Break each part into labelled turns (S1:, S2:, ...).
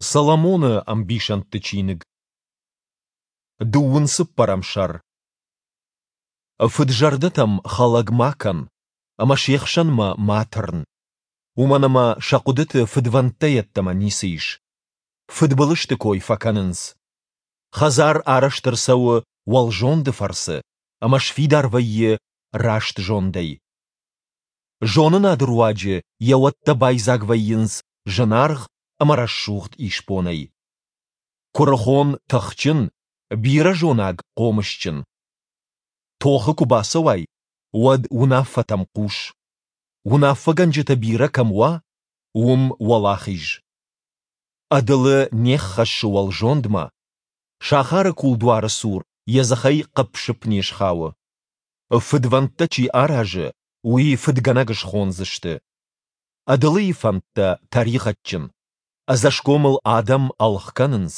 S1: Соломоны ӕмбисӕндты чиныг. Дыууын цыппӕрӕм сӕр. Фыд-зӕрдӕтӕм хӕлӕг ма кӕн, ӕмӕ се хсӕнмӕ ма тырн. Уымӕн ӕмӕ сӕ хъуыдыты фыдвӕндтӕ йеддӕмӕ ницы ис. Фыдбылызты кой фӕкӕнынц. Хӕдзар арӕзт ӕрцӕуы уӕлзонды фӕрцы ӕмӕ сфидар вӕййы раст зондӕй. Зонынады руаджы йӕ уӕттӕ байдзаг вӕййынц зынаргъ ӕмӕ рӕсугъд исбонӕй. Куырыхон тыхджын, бирӕзонаг хъомысджын. Тохы куы бацӕуай, уӕд уынаффӕтӕм хъус. Уынаффӕгӕнджытӕ бирӕ кӕм уа, уым уӕлахиз. Ӕдылы не ххӕссы уӕлзондмӕ, сахары кулдуары цур йӕ дзыхӕй хъыпп-сыпп не схауы. Фыдвӕндтӕ чи аразы, уый фыдгӕнӕг схондзысты. Ӕдылыйы фӕндтӕ тӕригъӕдджын, ӕдзӕсгомыл адӕм ӕлгъ кӕнынц.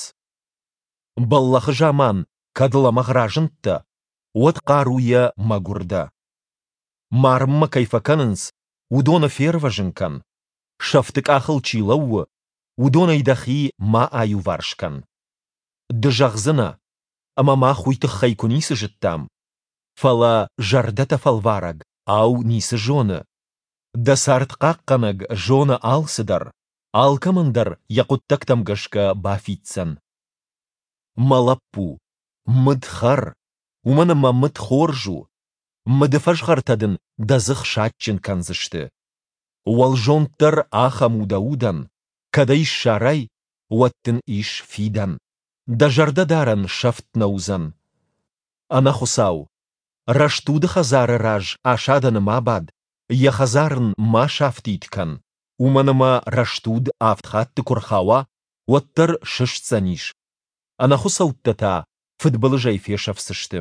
S1: Бӕллӕхы заман кӕд лӕмӕгъ разындтӕ, уӕд хъаруйӕ мӕгуыр дӕ. Марынмӕ кӕй фӕкӕнынц, уыдоны фервӕзын кӕн, сӕфты къахыл чи лӕууы, уыдонӕй дӕхи ма аиуварс кӕн. Ды зӕгъдзынӕ, ӕмӕ мах уый тыххӕй куы ницы зыдтам. Фӕлӕ зӕрдӕтӕ фӕлварӕг, ау, ницы зоны? Дӕ цард хъахъхъӕнӕг зоны алцыдӕр, алкӕмӕн дӕр йӕ хъуыддӕгтӕм гӕсгӕ бафиддзӕн. Мӕ лӕппу, мыд хӕр, уымӕн ӕмӕ мыд хорз у, мыды фӕзгъӕртӕ дын дӕ дзых садджын кӕндзысты. Уӕлзонд дӕр ахӕм у дӕ удӕн, кӕд ӕй ссарай, уӕд дын ис фидӕн, дӕ зӕрдӕдарӕн сӕфт нӕ уыдзӕн. Ӕнӕхуыцау, рӕстуды хӕдзары раз асадӕны ма бад, йӕ хӕдзар ын ма сафтид кӕн, уымӕн ӕмӕ рӕстуд авд хатты куы рхауа, уӕддӕр сыстдзӕнис, ӕнӕхуыцӕуттӕ та фыдбылызӕй фесӕфдзысты.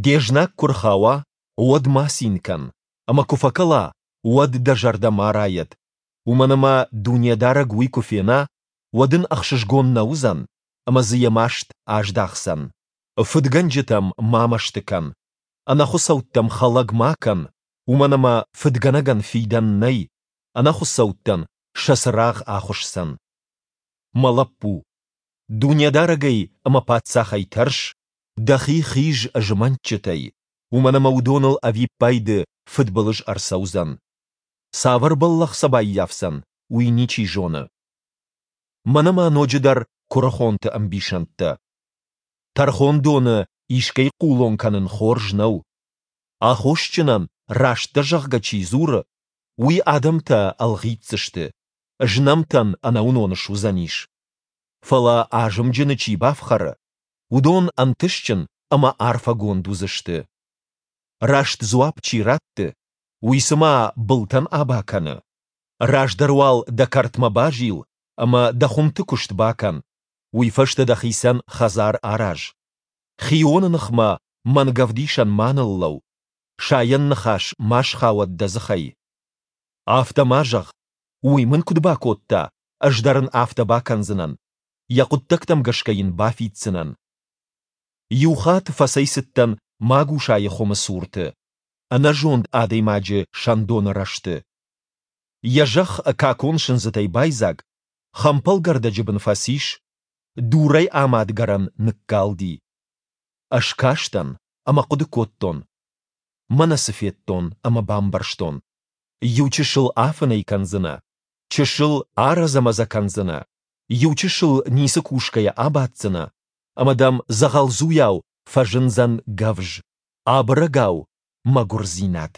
S1: Де знаг куы рхауа, уӕд ма цин кӕн, ӕмӕ куы фӕкӕла, уӕд дӕ зӕрдӕ ма райӕд, уымӕн ӕмӕ Дунедарӕг уый куы фена, уӕд ын ӕхсызгон нӕ уыдзӕн, ӕмӕ дзы йӕ маст аздахдзӕн. Фыдгӕнджытӕм ма мӕсты кӕн, ӕнӕхуыцӕуттӕм хӕлӕг ма кӕн, уымӕн ӕмӕ фыдгӕнӕгӕн фидӕн нӕй, ӕнӕхуыцӕуттӕн сӕ цырагъ ахуысдзӕн. Мӕ лӕппу, Дунедарӕгӕй ӕмӕ паддзахӕй тӕрс, дӕхи хиз змӕнтджытӕй, уымӕн ӕмӕ уыдоныл ӕвиппайды фыдбылыз ӕрцӕудзӕн. Цавӕр бӕллӕх сӕ баййафдзӕн, уый ничи зоны. Мӕнӕ ма ноджыдӕр куырыхонты ӕмбисӕндтӕ. Тӕрхондоны искӕй хъулон кӕнын хорз нӕу. Аххосджынӕн раст дӕ зӕгъгӕ чи дзуры, уый адӕмтӕ ӕлгъитдзысты, знӕмтӕн ӕнӕуынон суыдзӕнис. Фӕлӕ азымджыны чи бафхӕры, уыдон ӕнтыстджын ӕмӕ арфӕгонд уыдзысты. Раст дзуапп чи ратты, уый цыма былтӕн аба кӕны. Раздӕр уал дӕ кӕртмӕ базил ӕмӕ дӕ хуымты куыст бакӕн, уый фӕстӕ дӕхицӕн хӕдзар араз. Хионы ныхмӕ мӕнгӕвдисӕн ма ныллӕу, сайӕн ныхас ма схауӕд дӕ дзыхӕй. Афтӕ ма зӕгъ, уый мын куыд бакодта, ӕз дӕр ын афтӕ бакӕндзынӕн, йӕ хъуыддӕгтӕм гӕсгӕ йын бафиддзынӕн. Иу хатт фӕцӕйцыдтӕн магусайы хуымы цурты, ӕнӕзонд адӕймаджы сӕндоны рӕзты. Йӕ зӕхх какон сындзытӕй байдзаг, хӕмпӕлгӕрдӕджы бын фӕцис, дурӕй амад гӕрӕн ныккалди. Ӕз кастӕн ӕмӕ хъуыды кодтон. Мӕнӕ цы федтон ӕмӕ бамбӕрстон. Иу чысыл афынӕй кӕндзынӕ, чысыл арӕдзӕ-мӕдзӕ кӕндзынӕ, иу чысыл ницы кусгӕйӕ абаддзынӕ, ӕмӕ дӕм дзӕгъӕлдзуйау фӕзындзӕн гӕвз, абырӕгау мӕгуырдзинад.